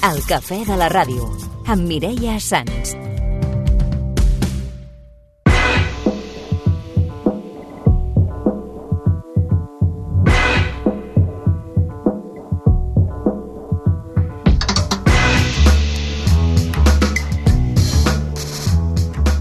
El cafè de la ràdio, amb Mireia Sans.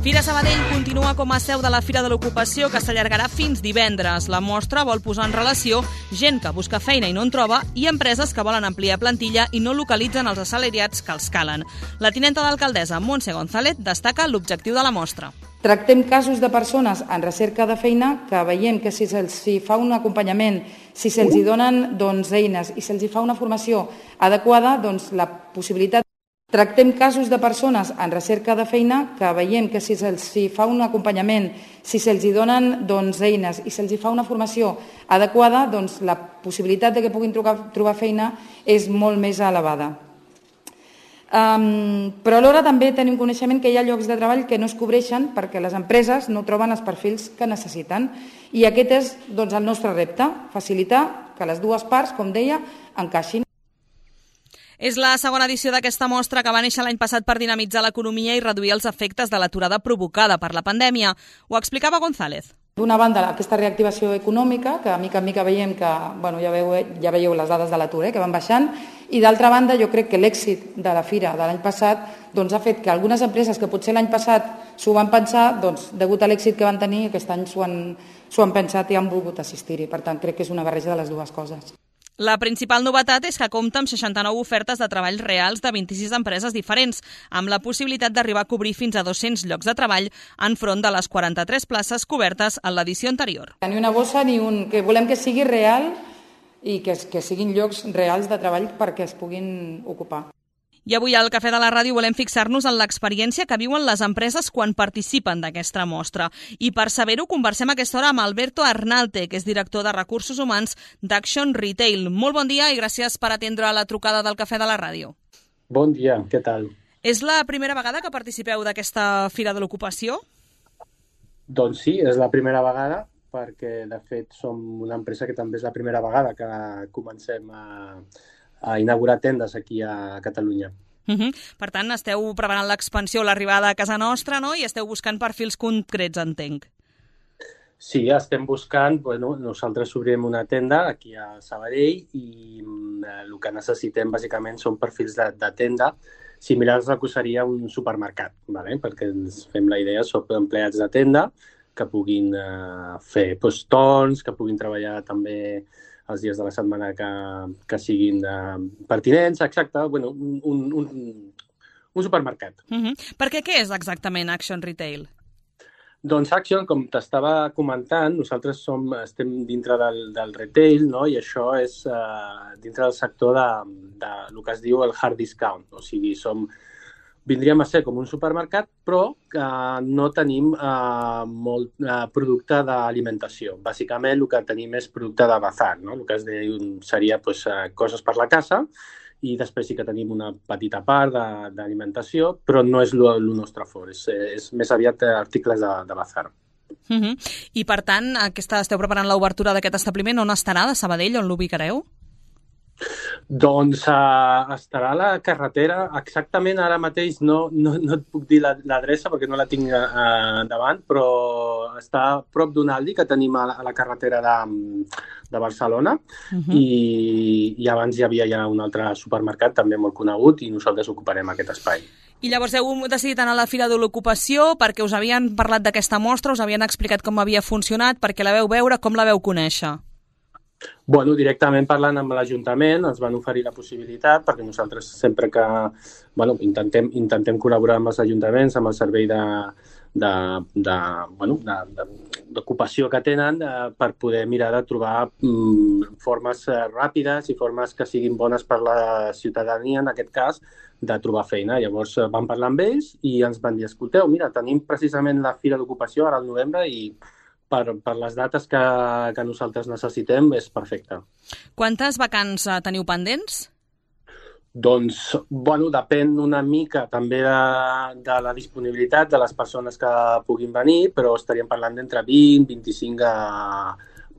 Fira Sabadell continua com a seu de la Fira de l'Ocupació, que s'allargarà fins divendres. La mostra vol posar en relació gent que busca feina i no en troba i empreses que volen ampliar plantilla i no localitzen els assalariats que els calen. La tinenta d'alcaldessa, Montse González, destaca l'objectiu de la mostra. Tractem casos de persones en recerca de feina que veiem que si se'ls fa un acompanyament, si se'ls donen eines i se'ls fa una formació adequada, la possibilitat. Tractem casos de persones en recerca de feina que veiem que si se'ls fa un acompanyament, si se'ls donen eines i se'ls fa una formació adequada, la possibilitat de que puguin trobar feina és molt més elevada. Però alhora també tenim coneixement que hi ha llocs de treball que no es cobreixen perquè les empreses no troben els perfils que necessiten. I aquest és el nostre repte, facilitar que les dues parts, com deia, encaixin. És la segona edició d'aquesta mostra que va néixer l'any passat per dinamitzar l'economia i reduir els efectes de l'aturada provocada per la pandèmia. Ho explicava González. D'una banda, aquesta reactivació econòmica, que mica en mica veiem que, ja veieu les dades de l'atur, que van baixant, i d'altra banda, jo crec que l'èxit de la Fira de l'any passat ha fet que algunes empreses que potser l'any passat s'ho van pensar, degut a l'èxit que van tenir, aquest any s'ho han pensat i han volgut assistir-hi. Per tant, crec que és una barreja de les dues coses. La principal novetat és que compta amb 69 ofertes de treball reals de 26 empreses diferents, amb la possibilitat d'arribar a cobrir fins a 200 llocs de treball enfront de les 43 places cobertes en l'edició anterior. Ni una bossa ni que volem que sigui real i que siguin llocs reals de treball perquè es puguin ocupar. I avui al Cafè de la Ràdio volem fixar-nos en l'experiència que viuen les empreses quan participen d'aquesta mostra. I per saber-ho conversem a aquesta hora amb Alberto Arnalte, que és director de Recursos Humans d'Action Retail. Molt bon dia i gràcies per atendre la trucada del Cafè de la Ràdio. Bon dia, què tal? És la primera vegada que participeu d'aquesta Fira de l'Ocupació? Doncs sí, és la primera vegada, perquè de fet som una empresa que també és la primera vegada que comencem a inaugurar tendes aquí a Catalunya. Per tant, esteu preparant l'expansió, l'arribada a casa nostra, no? I esteu buscant perfils concrets, entenc. Sí, estem buscant, nosaltres obrirem una tenda aquí a Sabadell i el que necessitem bàsicament són perfils de tenda similars al que seria un supermercat, perquè ens fem la idea, som empleats de tenda que puguin fer torns, que puguin treballar també els dies de la setmana que siguin pertinents, exacte, un supermercat. Perquè què és exactament Action Retail? Doncs Action, com t'estava comentant, nosaltres estem dintre del retail, no? I això és dintre del sector del que es diu el hard discount, o sigui, vindríem a ser com un supermercat, però no tenim molt producte d'alimentació. Bàsicament, el que tenim és producte de bazar, no? El que seria coses per la casa i després sí que tenim una petita part d'alimentació, però no és el nostre fort, és més aviat articles de bazar. I per tant, esteu preparant l'obertura d'aquest establiment, on estarà, de Sabadell, on l'ubicareu? Doncs estarà a la carretera, exactament ara mateix no et puc dir l'adreça perquè no la tinc davant, però està a prop d'un Aldi que tenim a la carretera de Barcelona i abans hi havia ja un altre supermercat també molt conegut i nosaltres ocuparem aquest espai. I llavors heu decidit anar a la Fira de l'Ocupació perquè us havien parlat d'aquesta mostra, us havien explicat com havia funcionat, perquè la veu veure, com la veu conèixer? Directament parlant amb l'Ajuntament ens van oferir la possibilitat, perquè nosaltres sempre que intentem col·laborar amb els ajuntaments, amb el servei d'ocupació que tenen per poder mirar de trobar formes ràpides i formes que siguin bones per la ciutadania, en aquest cas, de trobar feina. Llavors vam parlar amb ells i ens van dir, escolteu, mira, tenim precisament la Fira d'Ocupació ara al novembre i per les dates que nosaltres necessitem és perfecte. Quantes vacants teniu pendents? Doncs, depèn una mica també de la disponibilitat de les persones que puguin venir, però estaríem parlant d'entre 20 i 25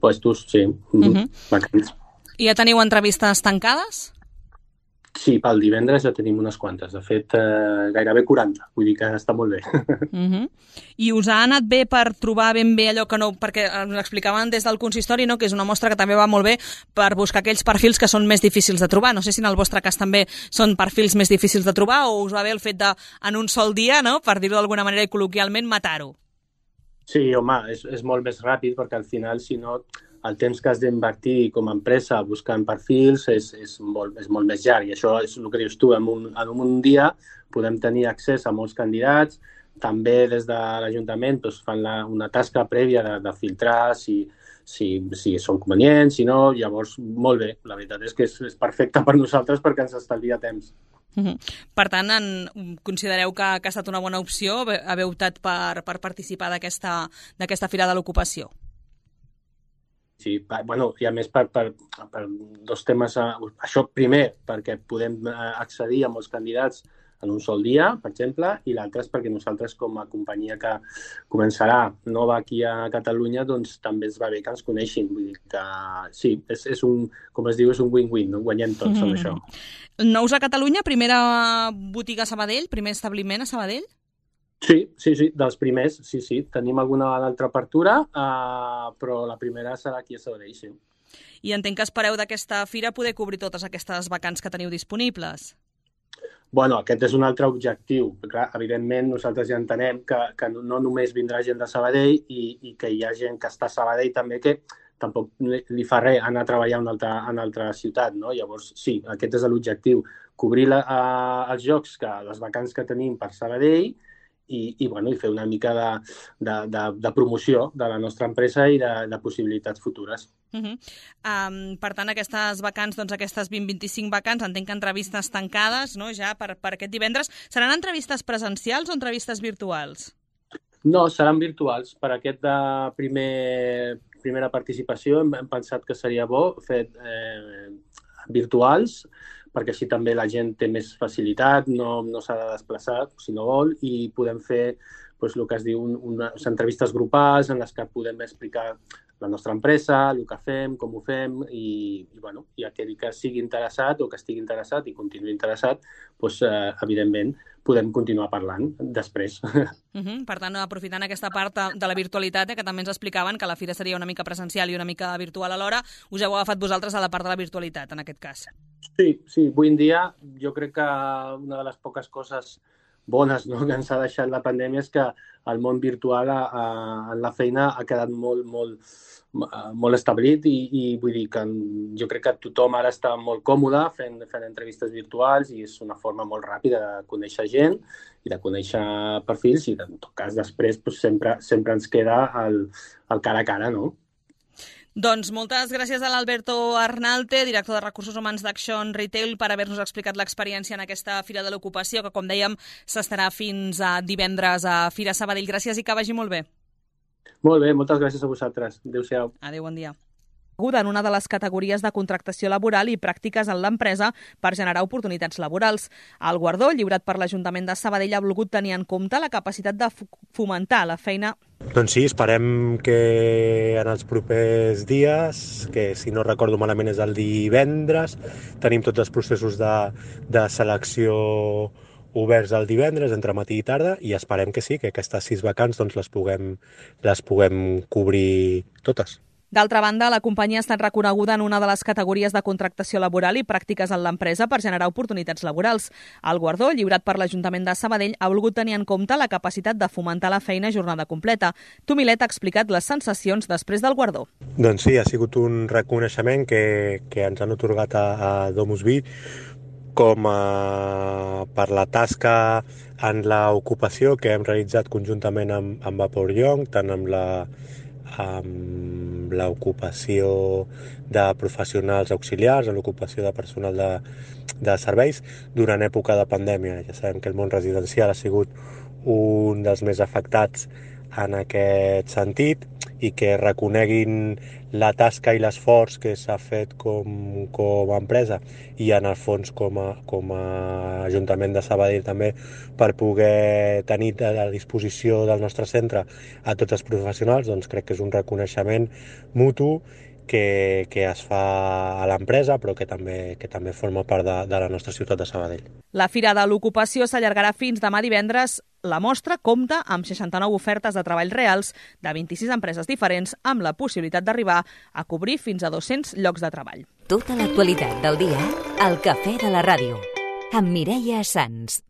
puestos, sí, vacants. I ja teniu entrevistes tancades? Sí, pel divendres ja tenim unes quantes. De fet, gairebé 40. Vull dir que està molt bé. I us ha anat bé per trobar ben bé allò que no... Perquè ens explicaven des del consistori, no?, que és una mostra que també va molt bé per buscar aquells perfils que són més difícils de trobar. No sé si en el vostre cas també són perfils més difícils de trobar o us va bé el fet de, en un sol dia, no?, per dir-ho d'alguna manera i col·loquialment, matar-ho. Sí, home, és molt més ràpid perquè al final, si no, el temps que has d'invertir com a empresa buscant perfils és molt més llarg. I això és el que dius tu, en un dia podem tenir accés a molts candidats. També des de l'Ajuntament fan una tasca prèvia de filtrar si són convenients, si no, llavors molt bé. La veritat és que és perfecte per nosaltres perquè ens estalvia temps. Per tant, considereu que ha estat una bona opció haver optat per participar d'aquesta Fira de l'Ocupació? Sí, bueno, i a més per dos temes. Això primer, perquè podem accedir a molts candidats en un sol dia, per exemple, i l'altre és perquè nosaltres, com a companyia que començarà nova aquí a Catalunya, doncs també ens va bé que ens coneixin. Vull dir que sí, és com es diu, és un win-win, no? Guanyem tots amb això. Nous a Catalunya, primera botiga a Sabadell, primer establiment a Sabadell? Sí, dels primers, sí. Tenim alguna altra apertura, però la primera serà aquí a Sabadell, sí. I entenc que espereu d'aquesta fira poder cobrir totes aquestes vacants que teniu disponibles. Bueno, aquest és un altre objectiu. Clar, evidentment, nosaltres ja entenem que no només vindrà gent de Sabadell i que hi ha gent que està a Sabadell també que tampoc li fa res anar a treballar a una altra ciutat, no? Llavors, sí, aquest és l'objectiu, cobrir els jocs, les vacants que tenim per Sabadell i fer una mica de promoció de la nostra empresa i de possibilitats futures. Per tant, aquestes vacants, doncs aquestes 20-25 vacants, entenc que entrevistes tancades, no?, ja per aquest divendres. Seran entrevistes presencials o entrevistes virtuals? No, seran virtuals. Per aquest de primera participació hem pensat que seria bo fer virtuals, perquè així també la gent té més facilitat, no s'ha de desplaçar si no vol, i podem fer el que es diu unes entrevistes grupals en les que podem explicar la nostra empresa, el que fem, com ho fem, i aquell que sigui interessat o que estigui interessat i continuï interessat, evidentment podem continuar parlant després. Per tant, aprofitant aquesta part de la virtualitat, que també ens explicaven que la fira seria una mica presencial i una mica virtual alhora, us heu agafat vosaltres a la part de la virtualitat, en aquest cas. Sí, avui en dia jo crec que una de les poques coses bones, no?, que ens ha deixat la pandèmia és que el món virtual en la feina ha quedat molt establit i vull dir que jo crec que tothom ara està molt còmode fent entrevistes virtuals i és una forma molt ràpida de conèixer gent i de conèixer perfils i en tot cas després sempre ens queda el cara a cara, no? Doncs moltes gràcies a l'Alberto Arnalte, director de Recursos Humans d'Action Retail, per haver-nos explicat l'experiència en aquesta Fira de l'Ocupació, que, com dèiem, s'estarà fins a divendres a Fira Sabadell. Gràcies i que vagi molt bé. Molt bé, moltes gràcies a vosaltres. Adéu-siau. Adéu, bon dia. En una de les categories de contractació laboral i pràctiques en l'empresa per generar oportunitats laborals. El guardó, lliurat per l'Ajuntament de Sabadell, ha volgut tenir en compte la capacitat de fomentar la feina. Doncs sí, esperem que en els propers dies, que si no recordo malament és el divendres, tenim tots els processos de selecció oberts el divendres, entre matí i tarda, i esperem que sí, que aquestes 6 vacants doncs, les puguem cobrir totes. D'altra banda, la companyia ha estat reconeguda en una de les categories de contractació laboral i pràctiques en l'empresa per generar oportunitats laborals. El guardó, lliurat per l'Ajuntament de Sabadell, ha volgut tenir en compte la capacitat de fomentar la feina a jornada completa. Tomilet ha explicat les sensacions després del guardó. Doncs sí, ha sigut un reconeixement que ens han atorgat a DomusVi per la tasca en l'ocupació que hem realitzat conjuntament amb Vapor Young, tant amb l'ocupació de professionals auxiliars, en l'ocupació de personal de serveis durant època de pandèmia. Ja sabem que el món residencial ha sigut un dels més afectats en aquest sentit i que reconeguin la tasca i l'esforç que s'ha fet com a empresa i en el fons com a Ajuntament de Sabadell també per poder tenir a la disposició del nostre centre a tots els professionals, doncs crec que és un reconeixement mutu que es fa a l'empresa, però que també forma part de la nostra ciutat de Sabadell. La Fira de l'Ocupació s'allargarà fins demà divendres. La mostra compta amb 69 ofertes de treball reals de 26 empreses diferents, amb la possibilitat d'arribar a cobrir fins a 200 llocs de treball. Tota l'actualitat del dia al Cafè de la Ràdio, amb Mireia Sans.